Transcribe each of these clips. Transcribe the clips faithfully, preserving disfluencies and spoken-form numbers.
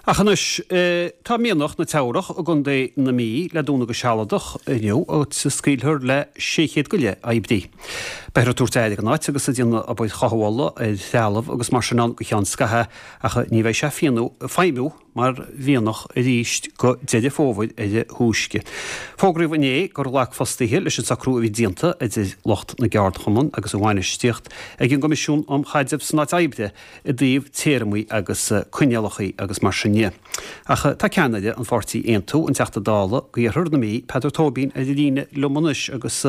Ach anois tá mianach na Teamhrach i gContae na Mí le dúnadh go sealadach inniu agus scaoilfear le sé chéad go leith oibrí. Beifear ag tabhairt aire don áit agus ag déanamh obair chothabhála ar threalamh agus mar sin ann go ceann scaithimh ach ní bheidh sé ag feidhmiú mar mhianach arís go Deireadh Fómhair ar a thúisce. Fógraíodh inné gur ghlac fostaithe leis an socrú a bhí déanta idir lucht na gceardchumann agus an bhainistíocht ag an gCoimisiún um Chaidreamh san Áit Oibre i dtaobh téarmaí agus coinníollacha agus mar sin de. Ach tá ceannaire an pháirtí Aontú, an Teachta Dála d'Iarthar na Mí, Peadar Tóibín ar an líne liom anois agus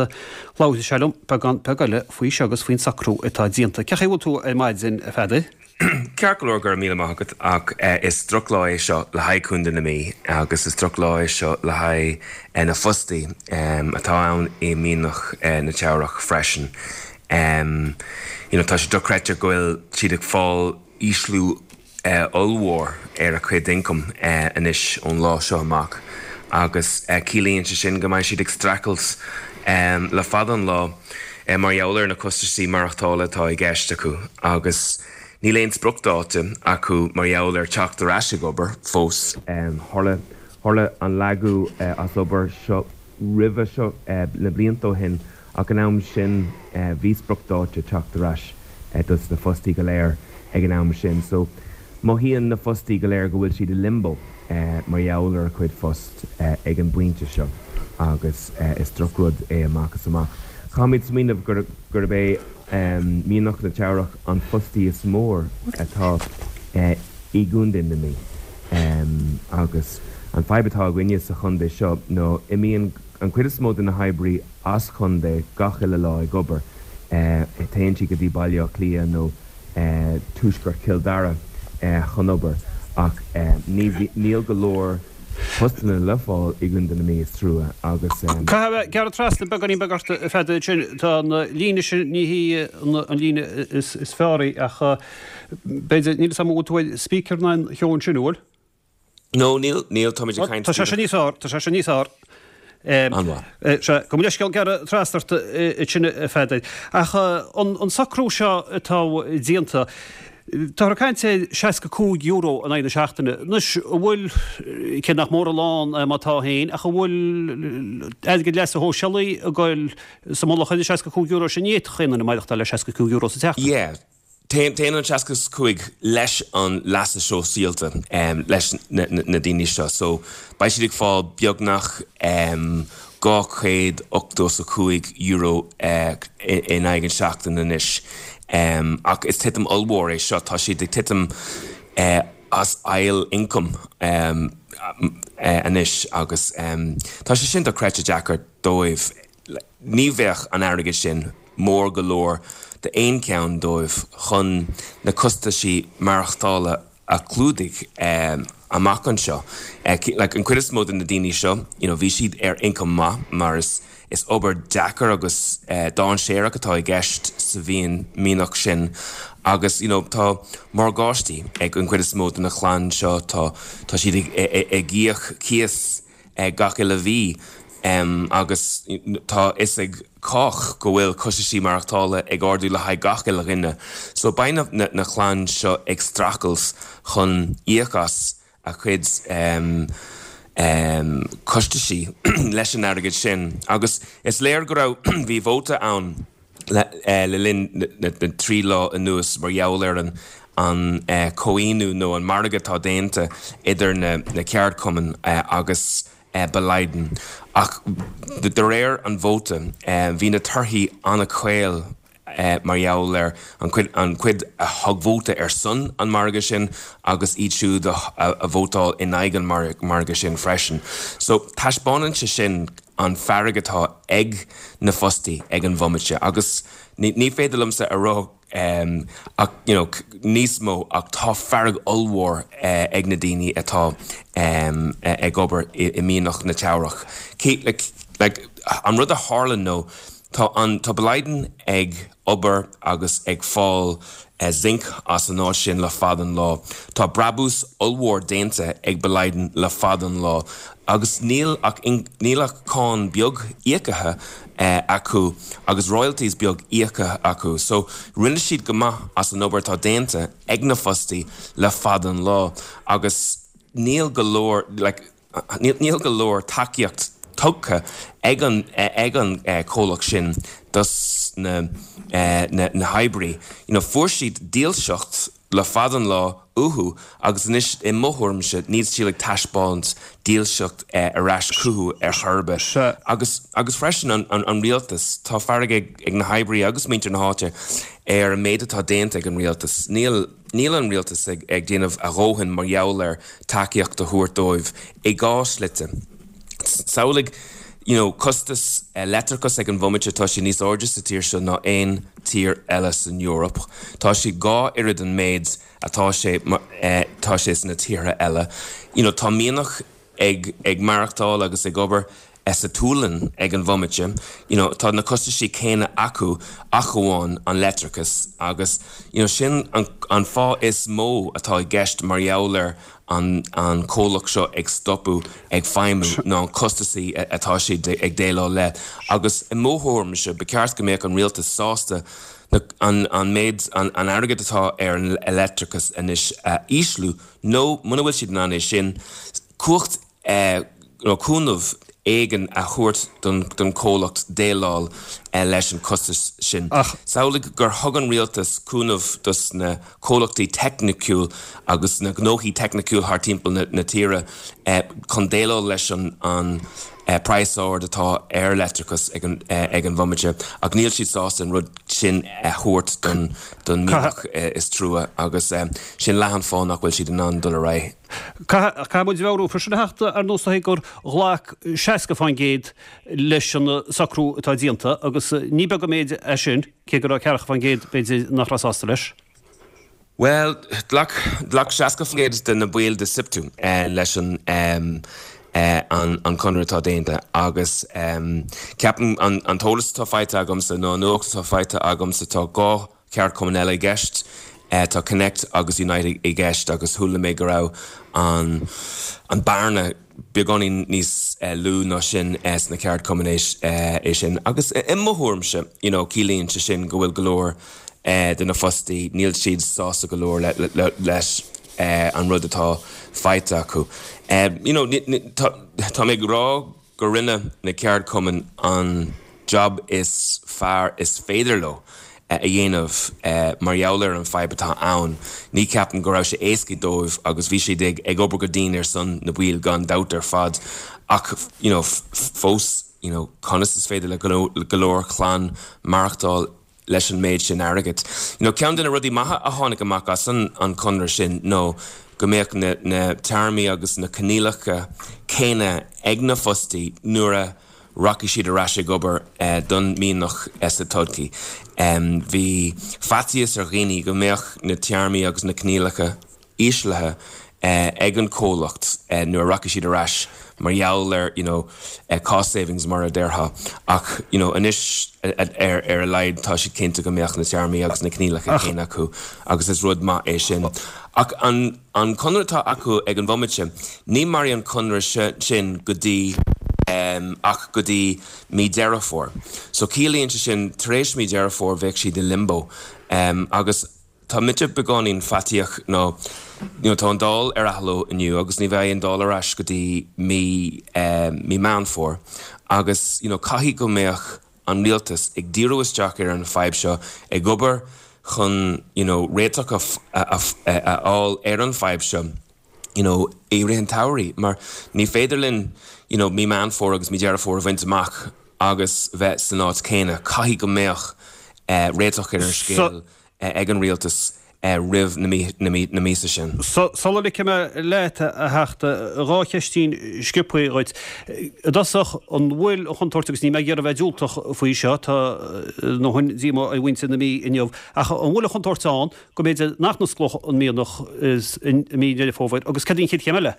labharfaidh sé liom beagán beag eile faoi seo agus faoin socrú atá déanta. Cén chaoi a bhfuil tú ar maidin a Pheadair? Ceart go leor go raibh míle maith agat ach is drochlá é seo le haghaidh Contae na Mí agus is drochlá é seo le haghaidh na fostaí atá ann i mianach na Teamhrach freisin. Um, you know, tá sé dochreidte go bhfuil siad ag fáil ísliú ollmhór ar a chuid income anois ón lá seo amach agus ciallaíonn sé sin go mbeidh siad ag streachailt um, le fada an lá mar gheall ar na costaisí maireachtála atá i gceist acu agus níl aon spriocdháta acu mar gheall ar teacht ar ais ag obair fós. Um, tharla tharla an lagú uh, as obair seo roimhe seo uh, le blianta ó shin ach an am sin uh, bhí spriocdháta teacht ar ais uh, dos na fostaí go léir ag an am sin. So mothaíonn na fostaí go léir go bhfuil siad i limbo uh, mar gheall ar a chuid post uh, ag an bpointe seo agus uh, is drochrud é amach is amach. Caithfimid smaoineamh gur gurb é um, mianach na Teamhrach an fostaí is mó atá uh, i gContae na Mí. Um, agus an fadhb atá againne sa chontae seo nó imíonn an chuid is mó de na hoibrithe as chontae gach uile lá ag obair. Uh, téann siad go dtí Baile Átha Cliath nó uh, tuaisceart Chill Dara uh, chun obair ach uh, níl go leor postanna le fáil i gContae na Mí is trua agus um, Caithfidh gearradh trasna beagáinín beag ort a Pheadair sin tá an líne sin ní hí an líne is, is fearr ach b'fhéidir níl sam tú speaker na cheann sin bhfuil? No níl níl tá caint Tá sé sin níos fearr, tá sé sin níos fearr. Se go leisceal gearradh trasna ort sin a Pheadair. Ach an, an socrú seo atá déanta, Tá caint seasca cúig euro in aghaidh na seachtaine. Anois bhfuil cé nach mór a lán má tá féin ach bhfuil airgead leasa shóisialaigh ag goil sa mullach ar seasca cúig euro sin ní chaon duine maireachtáil le seasca cúig euro sa tseachtain. Yeah. Téann an seasca cúig leis an leasa sóisialta um, leis na, na, na daoine seo, so beidh siad ag fáil beagnach um, dhá chéad ochtó a cúig euro uh, in aghaidh an seachtain anois. Um, ach is titim ollmhór é seo tá siad ag titim uh, as ail income um, uh, anois agus um, tá sé sin dochreidte deacair dóibh ní bheadh an airgead sin mór go leor d'aon cheann dóibh chun na costaisí maireachtála a chlúdaigh um, amach anseo. Uh, like, an chuid is mó de na daoine seo, you know, bhí siad ar income maith mar is is obair deacair agus uh, dainséarach atá i gceist sa mhian mianach sin agus you know, tá morgáistí ag an chuid is mó de na clann seo tá tá siad ag, ag, ag íoc cíos uh, gach uile mhí um, agus tá fhios ag cách go bhfuil costaisí maireachtála ag ardú le haghaidh gach uile dhuine. So beidh na, na, na clann seo ag streachailt chun íoc as a chuid um, um, costaisí leis an airgead sin. Agus is léir go raibh bhí vóta ann le, uh, le linn na, na, na trí lá anuas mar gheall ar an an uh, comhaontú nó an margadh atá déanta idir na, na ceardchumainn uh, agus uh, Boliden. Ach de réir an vóta uh, bhí na torthaí an-chaol uh, mar gheall ar an cuid, an cuid a thug vóta ar son an margadh sin agus iad siúd a, a, a vótáil in aghaidh an mar, margadh sin freisin. So taispeánann sé sin an fearg atá ag na fostaí ag an bhomaite agus ní, ní féidir liomsa a rá um, ach, you know, níos mó ach tá fearg ollmhór uh, ag na daoine atá um, ag obair i, i mianach na Teamhrach. Like, like, an rud a tharla nó tá an tá Boliden ag obair agus ag fáil uh, zinc as an áit sin le fada an lá. Tá brabús ollmhór déanta ag Boliden le fada an lá. Agus níl ach, níl ach cáin beag íoctha uh, acu agus royalties beag íoctha acu. So rinne siad go maith as an obair atá déanta ag na fostaí le fada an lá agus níl go leor like, níl go leor tacaíocht tugtha ag an ag an comhlacht sin dos na na na hoibrí. You know, fuair siad dílseacht le fada an lá uathu agus anois i mo thuairimse níl siad ag taispeáint dílseacht ar ais chucu ar chor ar bith. Agus agus freisin an, an, an rialtas tá fearg ag, ag na hoibrí agus muintir na háite ar an méid atá déanta ag an rialtas. Níl níl an rialtas ag, ag déanamh a dhóthain mar gheall ar tacaíocht a thabhairt dóibh i dhá shlite. Samhlaigh you know, costas uh, leictreachas ag an bhomaite tá sé níos airde sa tír seo ná aon tír eile san Eoraip. Tá sé dhá oiread an méid atá sé uh, tá sé sna tíortha eile. You know, tá mianach ag, ag maireachtáil agus ag obair sa tSualainn ag an bhomaite, you know, tá na costaisí céanna acu ach amháin an leictreachas agus you know, sin an, an fáth is mó atá i gceist mar gheall ar an, an comhlacht seo ag stopadh ag feidhmiú ná an costaisí atá siad ag déileáil le. Agus i mo thuairimse ba cheart go mbeadh an rialtas sásta na, an, an méid an, an airgead atá ar an leictreachas anois uh, ísliú nó muna bhfuil siad in ann é sin cumhacht uh, nó cúnamh éigin a thabhairt don, don comhlacht déileáil uh, leis an costas sin. Samhlaigh gur thug an rialtas cúnamh dos na comhlachtaí teicniúil agus na gnóthaí teicniúil thar timpeall na, na tíre uh, chun déileáil leis an, an uh, praghas ard atá ar leictreachas ag an, uh, ag an bhomaite ach níl siad sásta an rud sin a thabhairt don, don mianach uh, is trua agus um, sin leath an fáth nach bhfuil siad in ann dul ar aghaidh. Caithfidh muid a mheabhrú freisin a Theachta ar nós gur ghlac seasca faoin gcéad leis an socrú atá déanta agus ní beag an méid é sin cé go raibh ceathracha faoin gcéad b'fhéidir nach raibh sásta leis. Well, ghlac ghlac seasca faoin gcéad de na baill de SIPTU eh, leis an um, eh, an, an conradh atá déanta agus um, ceapaim an, an t-eolas atá faighte agamsa nó nuacht atá faighte agamsa tá dhá cheardchumann eile i gceist. Uh, tá Connect agus Unite i gceist agus chuala mé go raibh an, an bearna beagáinín níos uh, lú ná sin uh, sna ceardchumainn uh, é sin. Agus uh, i mo thuairimse you know, ciallaíonn sé sin go bhfuil go leor uh, de na fostaí níl siad sásta go leor le, le, le, leis uh, an rud atá faighte acu. Um, you know, tá, tá mé ag rá go rinne na ceardchumainn an job is fearr is féidir leo a dhéanamh mar gheall ar an fadhb atá ann. Ní ceapaim go raibh sé éasca dóibh agus bhí siad ag ag obair go dian ar son na baill gan dabht ar fad ach you know, fós you know, conas is féidir le go leor clann maireachtáil leis an méid sin airgid. You know, ceann de na rudaí maithe a tháinig amach as an, an conradh sin nó go mbeadh na, na téarmaí agus na coinníollacha céanna ag na fostaí nuair a rachaidh siad ar ais ag obair eh, don mianach eh, sa todhchaí. Um, bhí faitíos ar dhaoine go mbeadh na téarmaí agus na coinníollacha íslithe eh, ag an comhlacht eh, nuair a rachaidh siad ar ais mar gheall ar you know, eh, cost savings mar a déarfá ach you know, anois ar ar a laghad tá siad cinnte go mbeadh na téarmaí agus na coinníollacha céanna acu agus is rud maith é sin. Ach an, an conradh atá acu ag an bhomaite, ní mairfidh an conradh sin go dtí um, ach go dtí mí Deireadh Fómhair. So ciallaíonn sé sin tar éis mí Deireadh Fómhair bheadh siad i limbo. Um, agus tá mise beagáinín faitíoch nó you know, tá an Dáil ar athló inniu agus ní bheidh an Dáil ar ais go dtí mí um, mí Meán Fómhair agus you know, caithfidh go mbeadh an rialtas ag díriú isteach ar an fadhb seo ag obair chun you know, réiteach a, a, a, a fháil ar an fadhb seo you know, i rith an tsamhraidh mar ní féidir linn you know, mí Meán Fómhair agus mí Deireadh Fómhair a bhaint amach agus bheith san áit céanna caithfidh go mbeadh uh, réiteach ar an scéal uh, ag an rialtas uh, roimh na, mí, na, mí, na míosa sin. So, sula ligfidh mé leat a Theachta dhá cheistín sciobtha dhuit. I dtosach an bhfuil an chontúirt agus níl mé ag iarraidh bheith diúltach faoi seo tá nó hun díomá ar mhuintir na Mí inniu ach an bhfuil an chontúirt ann go mb'fhéidir nach n-osclódh an mianach is i mí Deireadh Fómhair agus cad é an chéad chéim eile?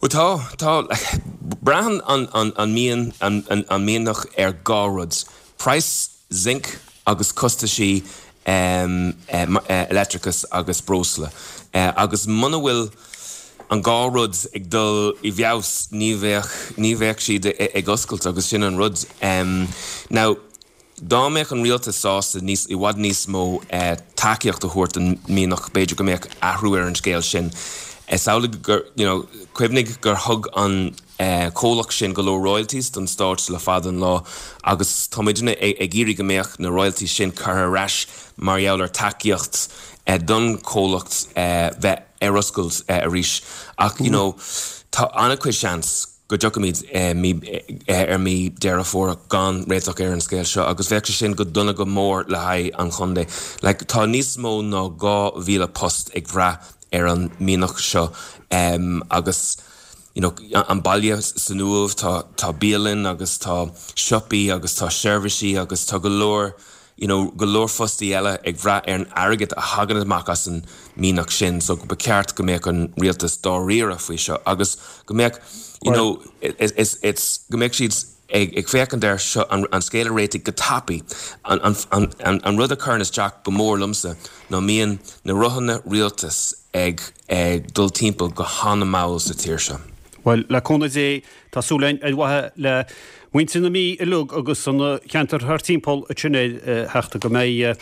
Well tá tá braitheann an, an, an, mian, an, an, an mianach ar dhá rud. Praghas zinc agus costaisí um, uh, leictreachas agus breosla. Uh, agus muna bhfuil an dhá rud ag dul i bhfeabhas ní bheadh ní bheadh siad ag oscailt agus sin an rud. Um, now, dá mbeadh an rialtas sásta níos i bhfad níos mó uh, tacaíocht a thabhairt don mianach b'fhéidir go mbeadh athrú ar an scéal sin. Samhlaigh gur you know, cuimhnigh gur thug an eh, comhlacht sin go leor royalties don stát le fada an lá agus táimidne ag iarraidh go mbeadh na royalties sin curtha ar ais mar gheall ar tacaíocht eh, don comhlacht eh, bheith ar oscailt eh, arís ach you know, tá an-chuid seans go dtiocfaimid eh, mí eh, ar mí Deireadh Fómhair gan réiteach ar an scéal seo agus bheadh sé sin go dona go mór le haghaidh an chontae. Like, tá níos mó ná dhá mhíle post ag brath ar an mianach seo um, agus you know, an baile san Uaimh tá tá bialann agus tá siopaí agus tá seirbhísí agus tá go leor you know, go leor fostaí eile ag brath ar an airgead a thagann amach as an mianach sin, so ba cheart go mbeadh an rialtas dáiríre faoi seo agus go mbeadh you know, it's, it's, it's, go mbeadh siad ag, ag féachaint air seo an, an scéal a réiteach go tapaidh an, an, an, an, an rud a chuireann isteach go mór liomsa ná mbíonn na rothanna rialtas ag, ag dul timpeall go han-mhall sa tír seo. Well le cúnamh Dé tá súil againn ar mhaithe le muintir na Mí uilig agus an ceantar thar timpeall sin theachta go mbeidh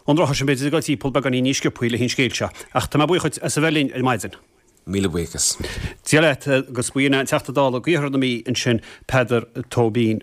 an rotha sin b'fhéidir ag dul timpeall beagáinín níos sciobtha le an scéal seo. Ach tá mé buíoch as a bheith linn ar maidin. Míle buíochas. Dia leat agus b'in an Teachta Dála d'Iarthar na Mí ansin Peadar Tóibín.